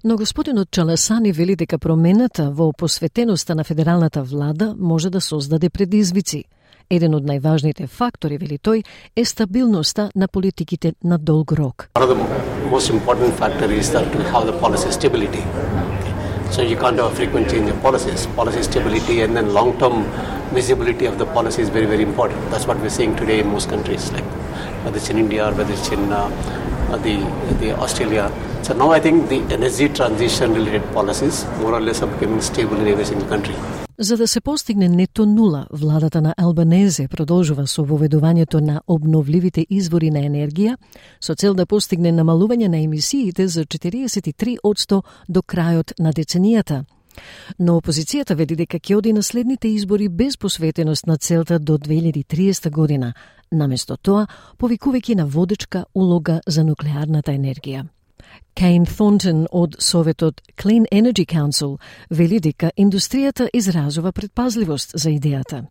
Но господинот Чаласани вели дека промената во посветеноста на федералната влада може да создаде предизвици. Еден од најважните фактори, вели тој, е стабилноста на политиките на долг рок. One of the most important factor is that to have the policy stability. So you can't have a frequent change of policies. Policy stability and then long-term visibility of the policy is very, very important. That's what we're seeing today in most countries, like whether it's in India or whether it's in the Australia. So now I think the energy transition-related policies more or less are becoming stable in every single country. За да се постигне нето нула, владата на Албанезе продолжува со воведувањето на обновливите извори на енергија со цел да постигне намалување на емисиите за 43% до крајот на деценијата. Но опозицијата веди дека ќе оди на следните избори без посветеност на целта до 2030 година, наместо тоа повикувајќи на водечка улога за нуклеарната енергија. Кейн Thornton од Советот Clean Energy Council вели дека индустријата изразува предпазливост за идејата.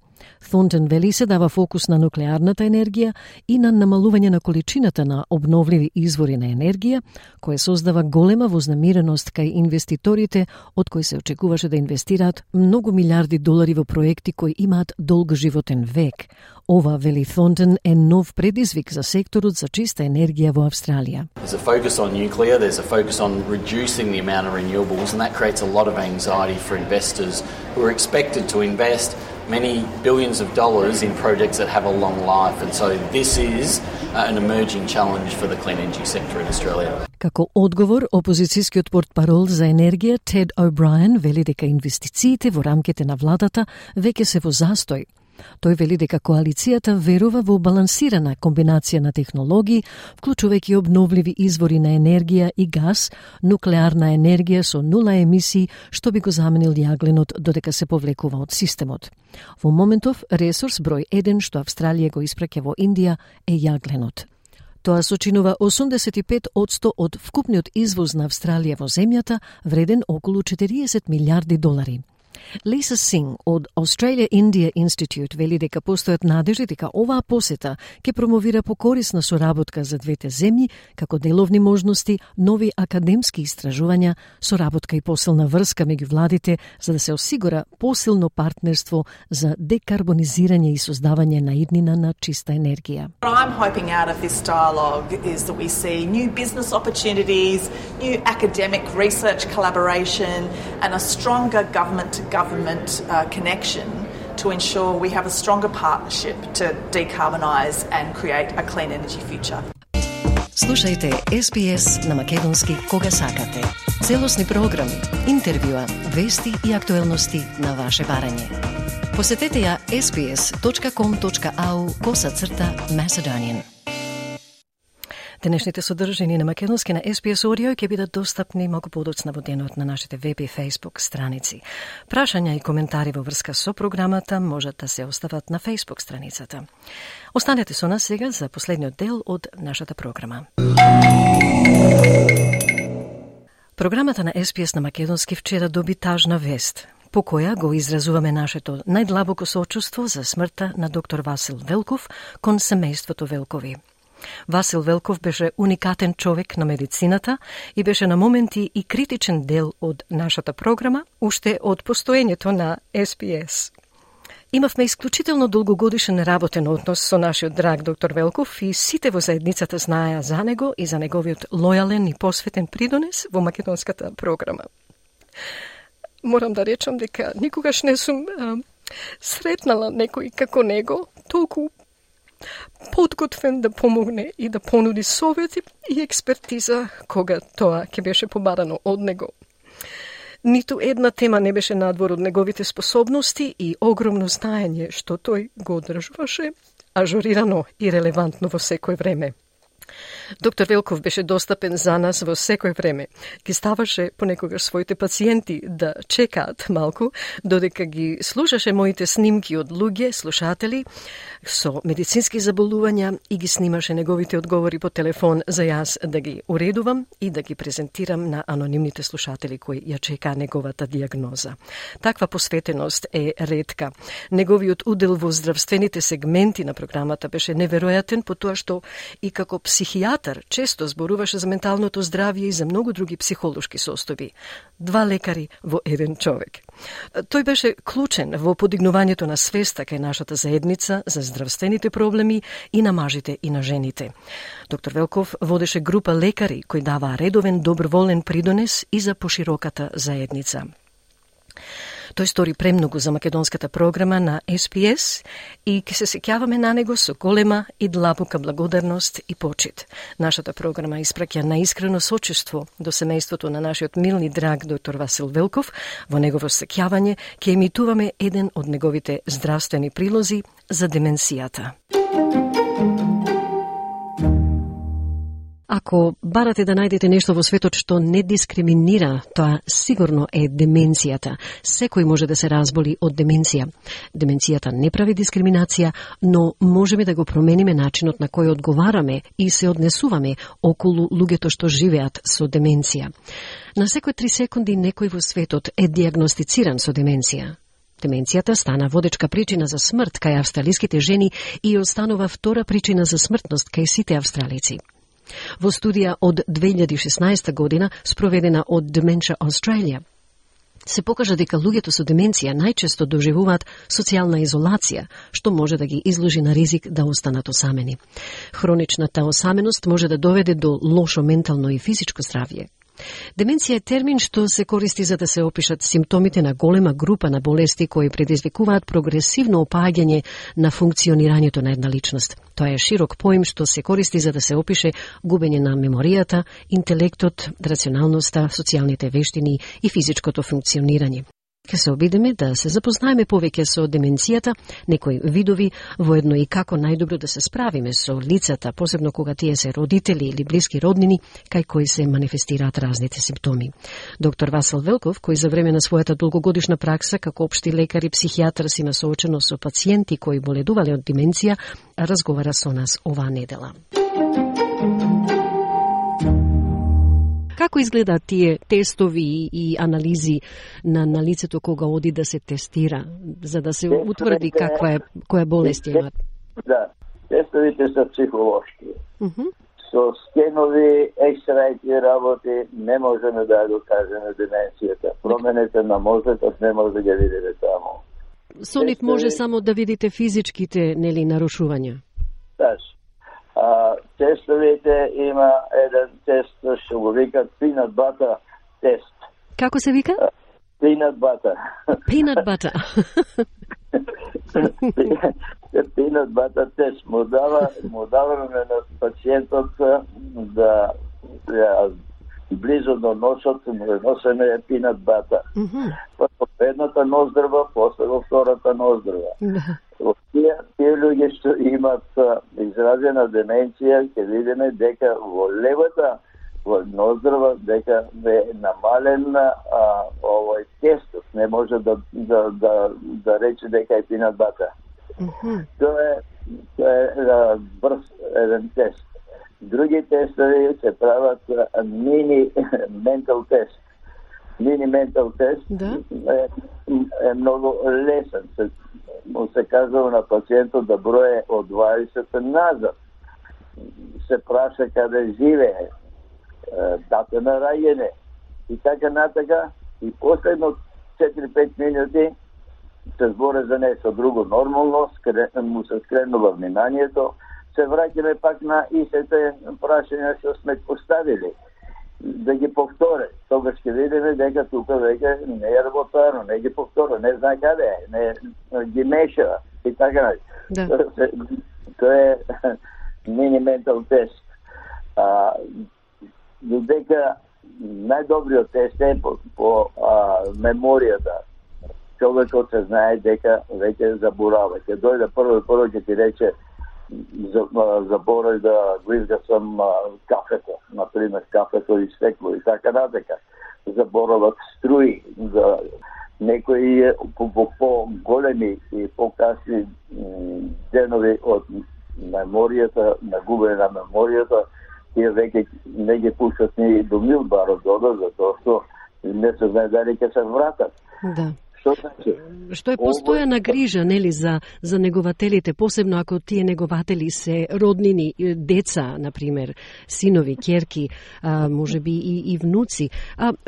Thornton вели се дава фокус на нуклеарната енергија и на намалување на количината на обновливи извори на енергија, која создава голема вознемиреност кај инвеститорите, од кои се очекуваше да инвестираат многу милиарди долари во проекти кои имаат долг животен век. Ова, вели Thornton, е нов предизвик за секторот за чиста енергија во Австралија. There's a focus on nuclear, there's a focus on reducing the amount of renewables, and that creates a lot of anxiety for investors who are expected to invest many billions of dollars in projects that have a long life, and so this is an emerging challenge for the clean energy sector in Australia. Како одговор, опозицијскиот портпарол за енергија Тед О'Брајен вели дека инвестициите во рамките на владата веќе се во застој. Тој вели дека коалицијата верува во балансирана комбинација на технологии, вклучувајќи обновливи извори на енергија и газ, нуклеарна енергија со нула емисии, што би го заменил јагленот додека се повлекува од системот. Во моментов, ресурс број 1 што Австралија го испраќа во Индија е јагленот. Тоа сочинува 85% од вкупниот извоз на Австралија во земјата, вреден околу 40 милиарди долари. Lisa Singh од Australia India Institute вели дека постојат надежди дека оваа посета ќе промовира покорисна соработка за двете земји, како деловни можности, нови академски истражувања, соработка и посилна врска меѓу владите за да се осигура посилно партнерство за декарбонизирање и создавање на иднина на чиста енергија. What I'm hoping out of this dialogue is that we see new business opportunities, new academic research collaboration and a stronger government-to-government connection to ensure we have a stronger partnership to decarbonise and create a clean energy future. Слушајте SBS на македонски кога сакате. Целосни програми, интервјуа, вести и актуелности на ваше барање. Посетете ја sbs.com.au/Macedonian. Денешните содржини на македонски на SBS Audio ќе бидат достапни малку подоцна во денот на нашите веб и Facebook страници. Прашања и коментари во врска со програмата можат да се остават на Facebook страницата. Останете со нас сега за последниот дел од нашата програма. Програмата на SBS на македонски вчера доби тажна вест, по која го изразуваме нашето најдлабоко соочувство за смртта на доктор Васил Велков кон семејството Велкови. Васил Велков беше уникатен човек на медицината и беше на моменти и критичен дел од нашата програма, уште од постоењето на SBS. Имавме исклучително долгогодишен работен однос со нашиот драг доктор Велков и сите во заедницата знаеа за него и за неговиот лојален и посветен придонес во македонската програма. Морам да речам дека никогаш не сум сретнала некој како него, толку подготвен да помогне и да понуди совети и експертиза кога тоа ќе беше побарано од него. Ниту една тема не беше надвор од неговите способности и огромно знаење што тој го одржуваше ажурирано и релевантно во секој време. Доктор Велков беше достапен за нас во секој време. Ги ставаше понекогаш своите пациенти да чекаат малку, додека ги слушаше моите снимки од луѓе, слушатели, со медицински заболувања и ги снимаше неговите одговори по телефон за јас да ги уредувам и да ги презентирам на анонимните слушатели кои ја чекаа неговата диагноза. Таква посветеност е ретка. Неговиот удел во здравствените сегменти на програмата беше неверојатен по тоа што и како психијатар често зборуваше за менталното здравје и за многу други психолошки состојби. 2 лекари во еден човек. Тој беше клучен во подигнувањето на свеста кај нашата заедница за здравствените проблеми и на мажите и на жените. Доктор Велков водеше група лекари кои даваа редовен доброволен придонес и за пошироката заедница. Тој стори премногу за македонската програма на SBS и ќе се сеќаваме на него со голема и длабока благодарност и почит. Нашата програма испраќа наискрено сочувство до семејството на нашиот милни драг доктор Васил Велков. Во негово сеќавање ќе емитуваме еден од неговите здравствени прилози за деменцијата. Ако барате да најдете нешто во светот што не дискриминира, тоа сигурно е деменцијата. Секој може да се разболи од деменција. Деменцијата не прави дискриминација, но можеме да го промениме начинот на кој одговараме и се однесуваме околу луѓето што живеат со деменција. На секој 3 секунди некој во светот е диагностициран со деменција. Деменцијата стана водечка причина за смрт кај австралиските жени и останува втора причина за смртност кај сите австралици. Во студија од 2016 година, спроведена од Dementia Australia, се покажа дека луѓето со деменција најчесто доживуваат социјална изолација, што може да ги изложи на ризик да останат осамени. Хроничната осаменост може да доведе до лошо ментално и физичко здравје. Деменција е термин што се користи за да се опишат симптомите на голема група на болести кои предизвикуваат прогресивно опаѓање на функционирањето на една личност. Тоа е широк поим што се користи за да се опише губење на меморијата, интелектот, рационалноста, социјалните вештини и физичкото функционирање. Ке се обидеме да се запознаеме повеќе со деменцијата, некои видови, воедно и како најдобро да се справиме со лицата, посебно кога тие се родители или блиски роднини, кај кои се манифестираат разните симптоми. Доктор Васил Велков, кој за време на својата долгогодишна пракса како општи лекар и психијатар си има соочено со пациенти кои боледувале од деменција, разговара со нас оваа недела. Како изгледаат тие тестови и анализи на лицето кога оди да се тестира, за да се утврди која болест имат? Да, тестовите се психолошки. Со скенови, екстрајки работи не можеме да го кажеме деменцијата. Промените на мозокот не може да ги видите таму. Со нив може само да видите физичките, нарушувања? Таш. Тестовите има еден тест што го викат peanut butter тест. Како се вика? Peanut butter. Peanut butter. Peanut butter test му даваме на пациентот да близо до носот му носеме peanut butter. Прво едната ноздрва, после во втората ноздрва. Тие луѓе што имат изразена деменција, ќе видиме дека во левата ноздрва дека е намален овој тестот, не може да рече дека е peanut butter. Тоа е брз еден тест. Други тестови се прават мини ментал тест. Мини ментал тест е многу лесен. Му се кажува на пациентот да броje од 20 назад. Се праша каде живее, дата на раѓање и така натака. И последно 4-5 минути се збори за нешто друго нормално, му се скренува вниманието, се враќаме пак на истите прашања што сме поставили, да ги повторе. Тогаш ќе видиме дека тука веќе не е работарно, не ги повтора, не знае каде е, не ги мешава и така. Тоа е мини ментал тест. Додека најдобриот тест е по меморијата. Човекот се знае дека веќе заборава. Ќе дојде прво ќе ти рече заборај да го изгасам кафето, например кафето и стекло и така натака. Заборават струи, за некои по-големи и по-касни денови од меморијата, нагубење на меморијата, тие веќе не ги пуштат ни до милбарот дода, затоа што не се знае дали ќе се вратат. Да. Што е постојана грижа, нели, за негователите, посебно ако тие негователи се роднини, деца, например, синови, ќерки, можеби и внуци.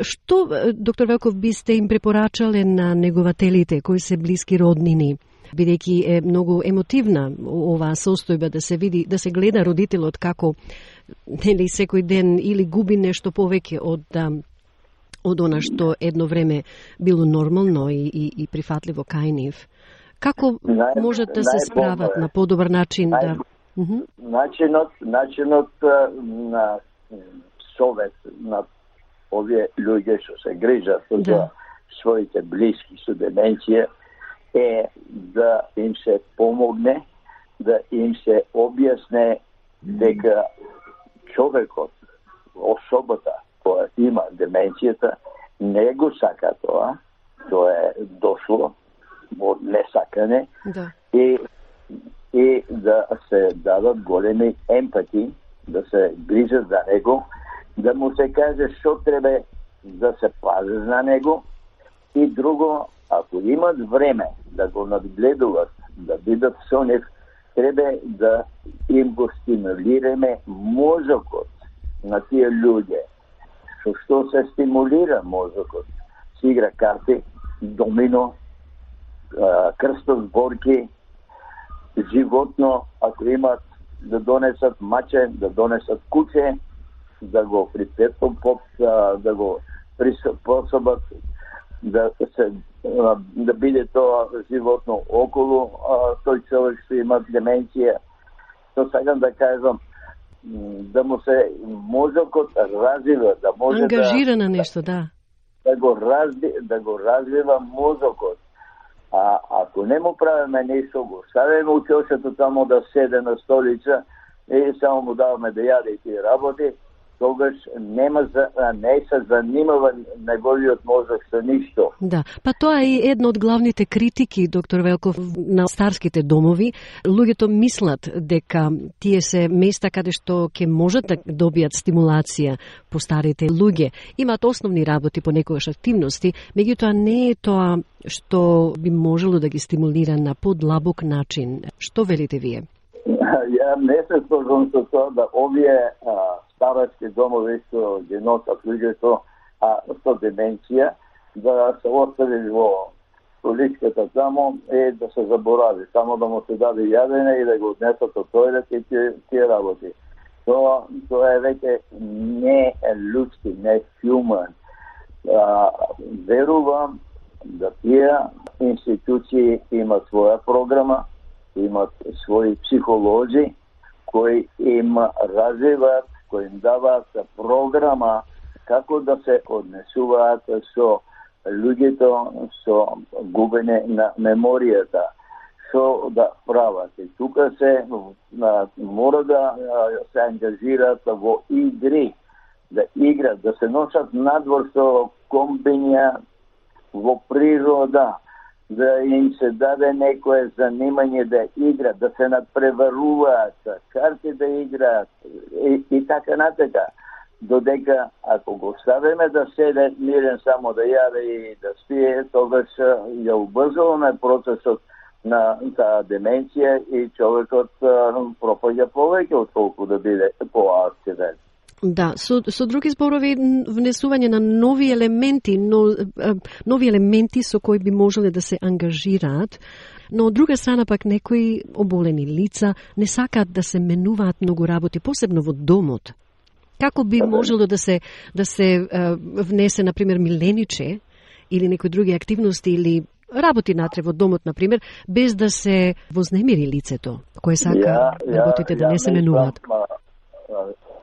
Што, доктор Велков, бисте им препорачале на негователите кои се блиски роднини? Бидејќи е многу емотивна оваа состојба, да се види, да се гледа родителот како, нели, секој ден или губи нешто повеќе од она што едно време било нормално и прифатливо кај нив. Како можат да се справат на подобар начин? Начинот на совет на овие луѓе што се грижат за своите блиски со деменција е да им се помогне, да им се објасне дека човекот, особата која има деменцијата, не го сака тоа е дошло од несакане и да се дадат големи емпати, да се грижат за него, да му се каже што треба да се пази за него и друго, ако имат време да го надгледуват, да бидат со нив, треба да им го стимулираме мозокот на тие луѓе. Што се стимулира мозокот? Се игра карти, домино, крстов зборки, животно, ако имат да донесат маче, да донесат куче, да го припретопот, да го приспособат, да биде тоа животно околу тој човек што има деменција. Тоа сакам да кажам, да му се мозокот развива, да може ангажира на нешто, да го развива мозокот. А ако не му правиме нешто, го ставиме учењето тамо да седе на столица и само му даваме да јаде и тие работи, тогаш не се занимава неговиот мозок со ништо. Да, па тоа е една од главните критики, доктор Велков, на старските домови. Луѓето мислат дека тие се места каде што ќе можат да добијат стимулација по старите луѓе. Имаат основни работи, понекогаш активности, меѓутоа не е тоа што би можело да ги стимулира на подлабок начин. Што велите вие? Ја не се сложам со тоа да овие старачки домови што ги носат луѓето со деменција, да се остави во столичката тамо и да се заборави, само да му се даде јадење и да го однесат од тојлет и тие работи. Тоа е веќе не луѓски, не human. Верувам да тие институции имат своја програма, имат своји психолози кои им развиваат, кои им даваат програма како да се однесуваат со луѓето со губење на меморијата, што да прават. И тука се мора да се ангажираат во игри, да играт, да се носат надвор со комбиња во природа, да им се даде некое занимање да играт, да се надпреваруваат, карти да играат и така натака. Додека ако го ставиме да седе мирен само да јаде и да спие, тогаш ја убрзуваме процесот на таа деменција и човекот пропаѓа повеќе отколку да биде поактивен. Да, со други зборови, внесување на нови елементи, нови елементи со кои би можеле да се ангажираат, но од друга страна пак некои оболени лица не сакаат да се менуваат многу работи, посебно во домот. Како би можело да се внесе, например, милениче или некои други активности или работи натре во домот, например, без да се вознемири лицето, кое сака работите да не се менуваат?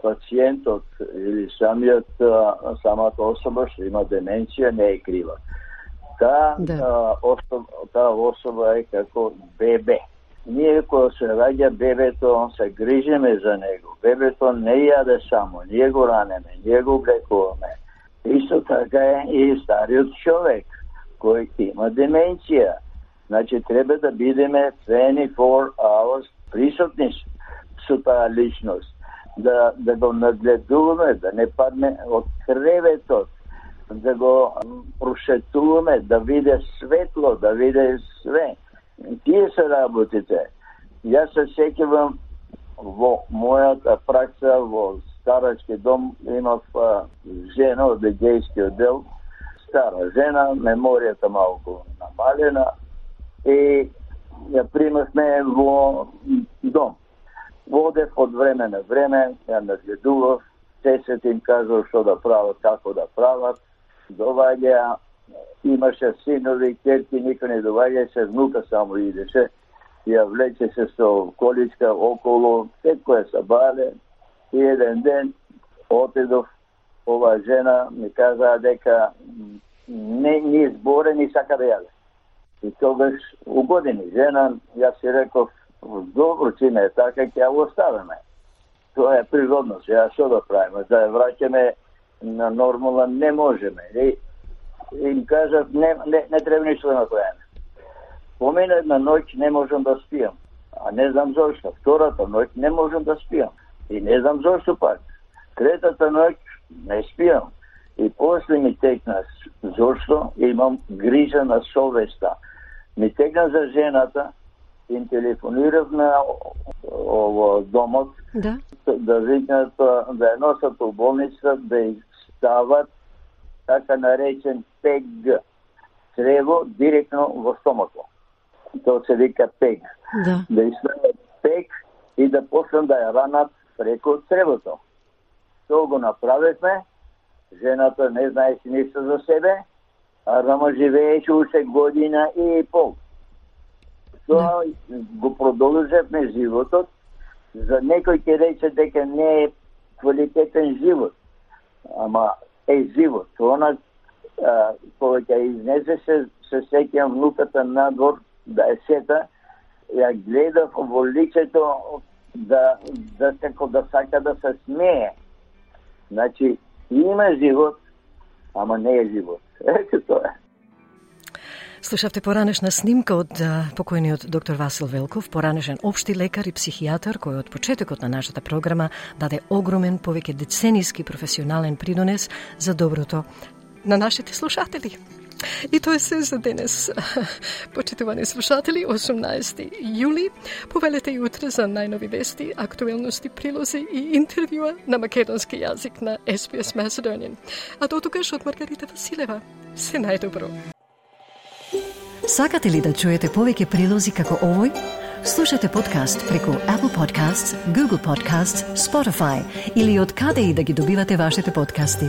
Пациентот или самата особа што има деменција не е крива. Таа особа е како бебе. Ние кога се раѓа бебето, се грижиме за него. Бебето не јаде само, ние го ранеме, ние го облекуваме. Исто така е и стариот човек кој има деменција. Значи треба да бидеме 24 hours присутни со таа личност. Да го нагледуваме, да не падне од креветот, да го прошетуваме, да виде светло, да виде све. Тие се работите. Јас се сеќавам во мојата пракса во старачки дом, имав жена од гејскиот дел, стара жена, меморијата малку намалена и ја примавме во дом. Водев од време на време, ја нагледував, се им кажал што да прават, како да прават, доваѓа, имаше синови, керки, никој не доваѓа, се внука само идеше, ја влече се со количка околу, секој се баве, и еден ден отидов, оваа жена ми каза дека не ни зборе, ни сака да јаде. И тогаш угодени жена, јас си реков, добро, че не е така, ќе ја оставиме. Тоа е природно, сега што да правиме, да ја враќаме на нормална не можеме. И им кажат, не треба ништо да направиме. Помина една ноќ не можам да спијам, а не знам зошто. Втората ноќ не можам да спијам и не знам зошто пак. Третата ноќ не спијам и после ми текна зошто имам грижа на совеста. Ми текна за жената, им телефонирав на домот да викнат да ја носат у болница, да ја стават така наречен ПЕГ, црево директно во стомако. Тоа се вика ПЕГ. Да ја стават ПЕГ и да почнат да ја ранат преку цревото. Тоа го направивме, жената не знаеше ништо за себе, а рама живееше уште година и пол. Тоа го продолжевме животот. За некој ќе рече дека не е квалитетен живот, ама е живот. Она кога ќе изнесе се сеќам внуката надвор да е сета, ја гледав во лицето да како да сака да се смее. Значи има живот, ама не е живот. Ето тоа е. Слушавте поранешна снимка од покојниот доктор Васил Велков, поранешен општи лекар и психијатар, кој од почетокот на нашата програма даде огромен, повеќе деценијски професионален придонес за доброто на нашите слушатели. И тоа е се за денес. Почитувани слушатели, 18 јули, повелете и утре за најнови вести, актуелности, прилози и интервјуа на македонски јазик на SBS Macedonian. А до тогаш од Маргарита Василева, се најдобро. Сакате ли да чуете повеќе прилози како овој? Слушате подкаст преку Apple Podcasts, Google Podcasts, Spotify или од каде и да ги добивате вашите подкасти.